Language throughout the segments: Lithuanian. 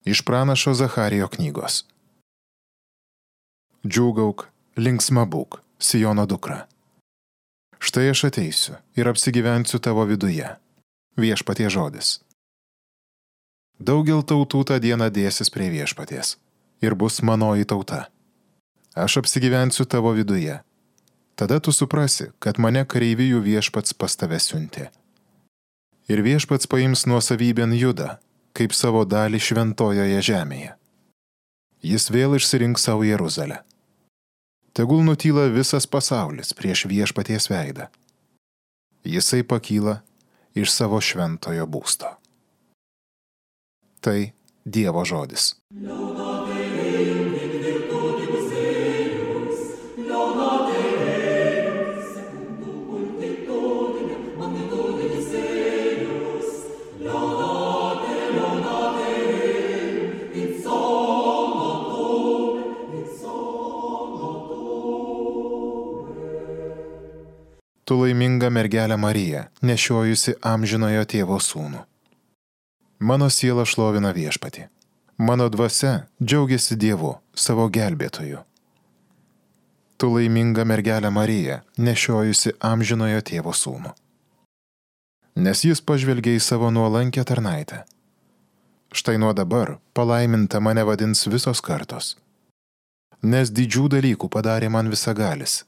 Iš pranašo Zacharijo knygos. Džiūgauk, linksma būk, Siono dukra. Štai aš ateisiu ir apsigyvensiu tavo viduje. Viešpaties žodis. Daugel tautų tą dieną dėsis prie viešpaties ir bus manoji tauta. Aš apsigyvensiu tavo viduje. Tada tu suprasi, kad mane kareivijų viešpats pas tave siuntė. Ir viešpats paims nuosavybėn Judą, kaip savo dalį šventojoje žemėje. Jis vėl išsirinks savo Jeruzalę. Tegul nutyla visas pasaulis prieš viešpaties veidą. Jisai pakyla iš savo šventojo būsto. Tai Dievo žodis. Tu laiminga mergelė Marija, nešiojusi amžinojo tėvo sūnų. Mano siela šlovina viešpatį. Mano dvasia džiaugiasi Dievu, savo gelbėtoju. Tu laiminga mergelė Marija, nešiojusi amžinojo tėvo sūnų. Nes jis pažvelgė į savo nuolankę tarnaitę. Štai nuo dabar palaiminta mane vadins visos kartos. Nes didžių dalykų padarė man visagalis.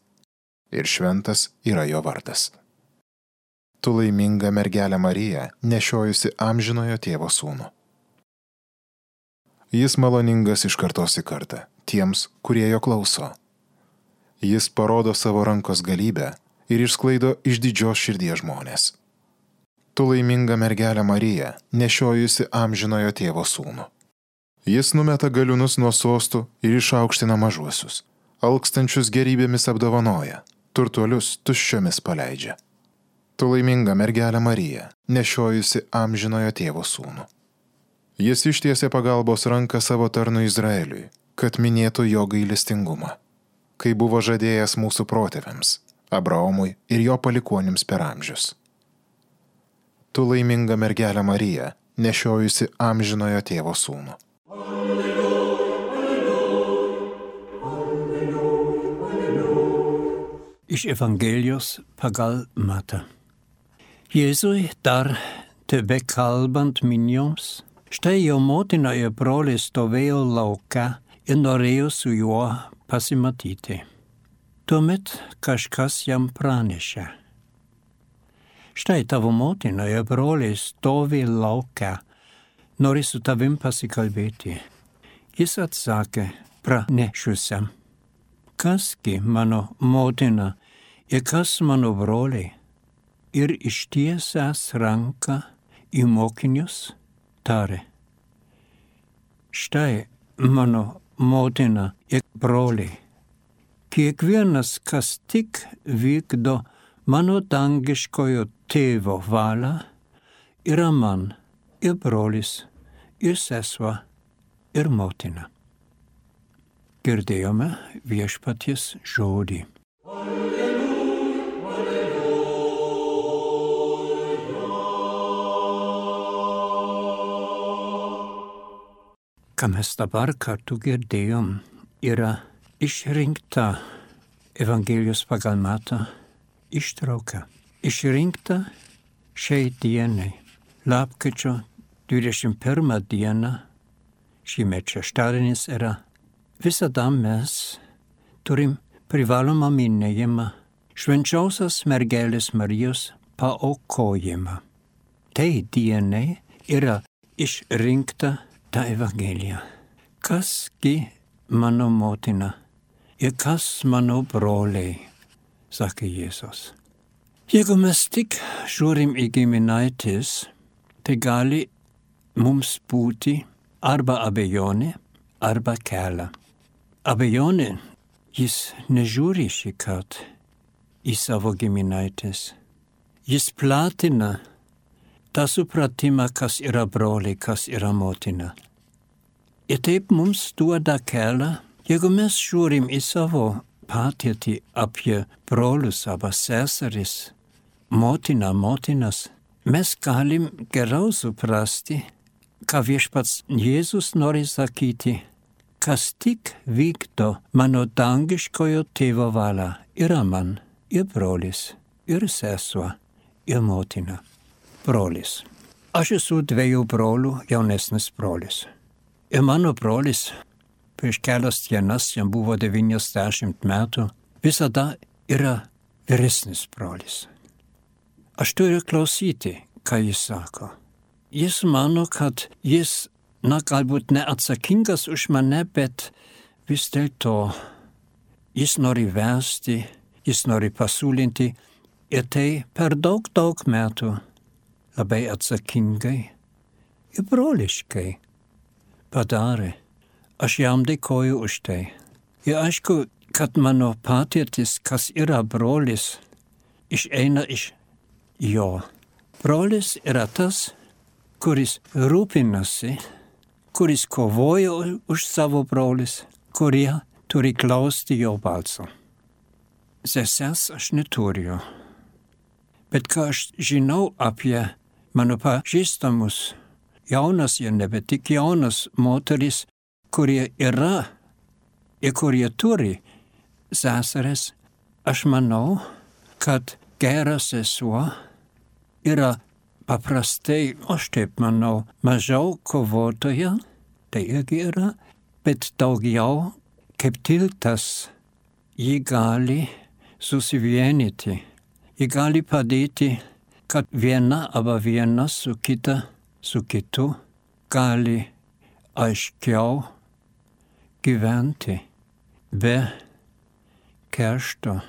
Ir šventas yra jo vardas. Tu laiminga mergelė Marija, nešiojusi amžinojo tėvo sūnų. Jis maloningas iš kartos į kartą, tiems, kurie jo klauso. Jis parodo savo rankos galybę ir išsklaido iš didžios širdies žmonės. Tu laiminga mergelė Marija, nešiojusi amžinojo tėvo sūnų. Jis numeta galiūnus nuo sostų ir išaukština mažuosius, alkstančius gerybėmis apdovanoja, turtuolius tuščiomis paleidžia. Tu laiminga mergelė Marija, nešiojusi amžinojo tėvo sūnų. Jis ištiesė pagalbos ranką savo tarnui Izraeliui, kad minėtų jo gailestingumą, kai buvo žadėjęs mūsų protėviams, Abraomui ir jo palikuonims per amžius. Tu laiminga mergelė Marija, nešiojusi amžinojo tėvo sūnų. Iš Evangelijos pagal Matą. Jėzui dar tebe kalbant minioms, štai jo motina ir broliai stovėjo lauke ir norėjo su juo pasimatyti. Tuomet kažkas jam pranešė. Štai tavo motina ir broliai stovi lauke, nori su tavim pasikalbėti. Jis atsakė pranešusiam. Kasgi mano motina ir kas mano broliai? Ir ištiesęs ranką į mokinius tarė. Štai mano motina ir broliai. Kiekvienas, kas tik vykdo mano dangiškojo tėvo valią, yra man ir brolis, ir sesuo, ir motina. Girdėjome viešpaties žodį. Ką mes dabar kartu girdėjom, yra išrinkta Evangelijos pagal Matą ištrauka. Išrinkta šiai dienai, lapkričio 21 dieną, šįmet šeštadienis yra. Visada mes turim privalomą minėjimą švenčiausios mergelės Marijos paaukojimą. Tai dienai yra išrinkta ta Evangelija. Kasgi mano motina ir kas mano broliai, sakė Jėzus. Jeigu mes tik žiūrim į giminaitis, tai gali mums būti arba abejonė, arba kelia. Abejonė, jis nežiūri šį kartą į savo giminaitis. Jis platina tą supratimą, kas yra broliai, kas yra motina. Ir taip mums duoda kelią, jeigu mes žiūrim į savo patirtį apie brolius arba seseris, motinas, mes galim geriau suprasti, ką viešpats Jėzus nori sakyti, kas tik vykdo mano dangiškojo tėvo valią, yra man ir brolis, ir sesuo, ir motina. Brolis. Aš esu 2 brolių jaunesnis brolis. Ir mano brolis prieš kelias dienas, jam buvo 90 metų, visada yra vyresnis brolis. Aš turiu klausyti, ką jis sako. Jis mano, kad jis, galbūt neatsakingas už mane, bet vis dėlto jis nori vesti, jis nori pasiūlinti ir tai per daug metų labai atsakingai ir broliškai padarė. Aš jam dėkoju už tai. Ir aišku, kad mano patirtis, kas yra brolis, išeina iš jo. Brolis yra tas, kuris rūpinasi, kuris kovoja už savo brolis, kurie turi klausti jo balso. Sesers aš neturiu. Bet ką aš žinau apie mano pažįstamus, jaunas ir nebe tik jaunas moteris, kurie yra ir kurie turi seseres, aš manau, kad gera sesuo yra paprastai, aš taip manau, mažiau kovotoja, tai irgi yra, bet daugiau kaip tiltas, ji gali susivienyti, ji gali padėti, kad viena arba viena su kitu gali aiškiau gyventi, be keršto,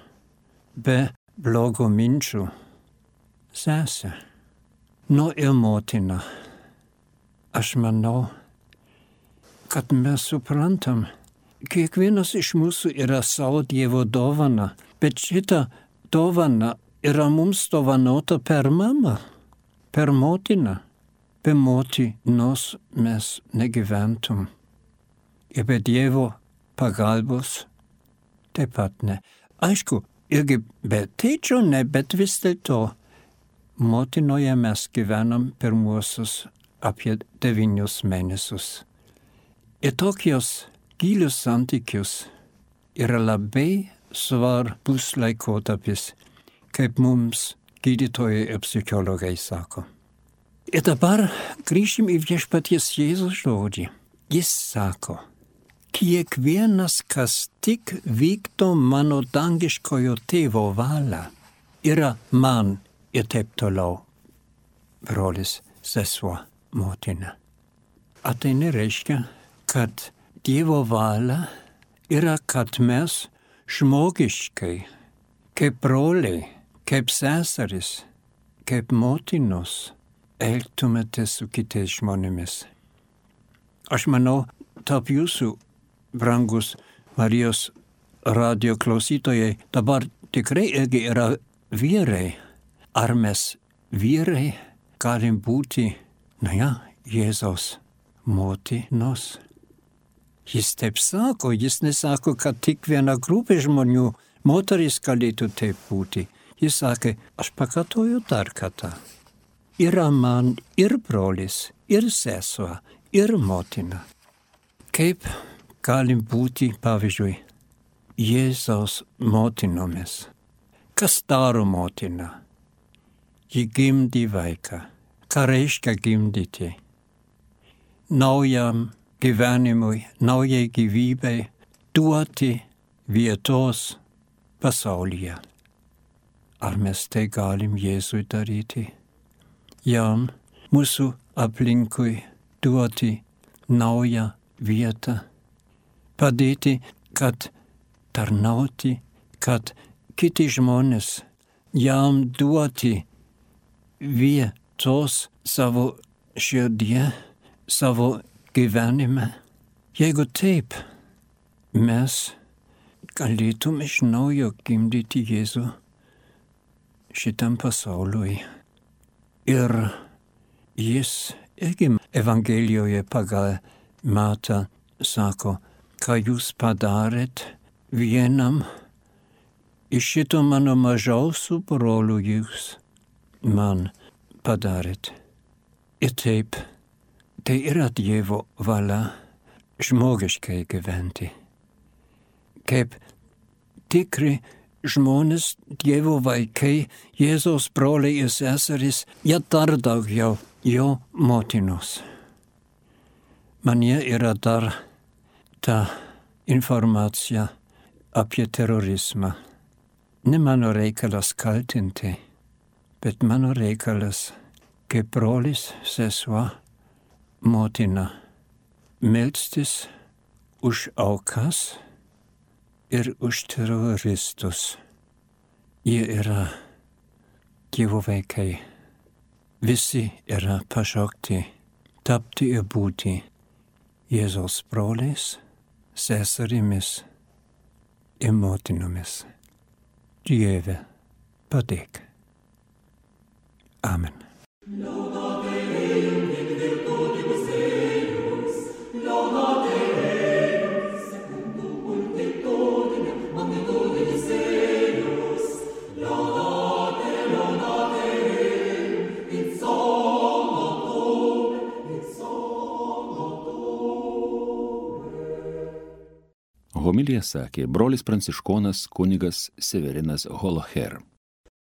be blogo minčių. Sesė. Ir motina. Aš manau, kad mes suprantam, kiekvienas iš mūsų yra savo Dievo dovana, bet šita dovana yra mums dovanota per mamą, per motiną. Be motinos mes negyventum. Ir be Dievo pagalbos taip pat ne. Aišku, irgi be tėčio ne, bet vis dėlto motinoje mes gyvenam pirmuosius apie 9 mėnesius. Ir tokios gilius santykius yra labai svarbus laikotarpis, kaip mums gydytojai ir psichologai sako. Ir dabar grįžim į viešpaties Jėzus žodį. Jis sako, kiekvienas, kas tik vykdo mano dangiškojo tėvo valią, yra man ir taip toliau. Brolis, sesuo, motina. Ar tai nereiškia, kad Dievo valia yra, kad mes žmogiškai, kaip broliai, kaip seseris, kaip motinos, elgtumėtės su kitais žmonėmis. Aš manau, tarp jūsų, brangus Marijos radio klausytojai, dabar tikrai irgi yra vyrai. Ar mes vyrai galim būti, Jėzaus motinos? Jis taip sako, jis nesako, kad tik viena grupė žmonių, moteris galėtų taip būti. Jis sakė, aš pakartoju dar kartą. Yra man ir brolis, ir sesuo, ir motina. Kaip galim būti, pavyzdžiui, Jėzaus motinomis? Kas daro motina? Ji gimdi vaiką. Ką reiškia gimdyti? Naujam gyvenimui, naujai gyvybei duoti vietos pasaulyje. Ar mes tai galim Jėzui daryti? Jam mūsų aplinkui duoti naują vietą. Padėti, kad tarnauti, kad kiti žmonės jam duoti vietos savo širdie, savo gyvenime. Jeigu taip, mes galėtum iš naujo gimdyti Jėzų šitam pasauliui. Ir jis irgi Evangelijoje pagal Matą sako, ką jūs padarėt vienam iš šito mano mažiausių brolių jūs man padarėt. Ir taip Tai yra Dievo valia žmogiškai gyventi. Kaip tikri žmonės, Dievo vaikai, Jėzaus broliai ir seserys, jie dar daugiau jo motinos. Manyje yra dar ta informacija apie terorizmą. Ne mano reikalas kaltinti, bet mano reikalas kaip brolis, sesuo, motina, melstis už aukas ir už teroristus. Jie yra Dievo vaikai. Visi yra pašaukti tapti ir būti Jėzaus broliais, seserimis ir motinomis. Dieve, padėk. Amen. Homiliją sakė brolis pranciškonas kunigas Severinas Holoher.